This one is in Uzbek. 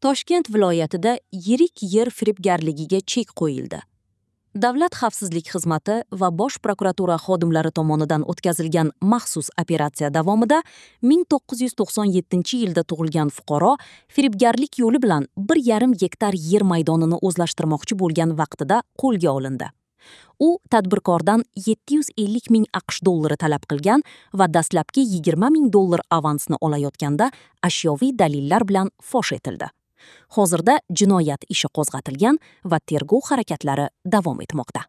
Toshkent viloyatida yirik yer firibgarligiga chek qo'yildi. Davlat xavfsizlik xizmati va Bosh prokuratura xodimlari tomonidan o'tkazilgan maxsus operatsiya davomida 1997-yilda tug'ilgan fuqaro firibgarlik yo'li bilan 1,5 gektar yer maydonini o'zlashtirmoqchi bo'lgan vaqtida qo'lga olindi. U tadbirkordan 750 ming AQSh dollari talab qilgan va dastlabki 20 ming dollar avansni olayotganda ashyoviy dalillar bilan fosh etildi. Hozirda jinoyat ishi qo'zg'atilgan va tergov harakatlari davom etmoqda.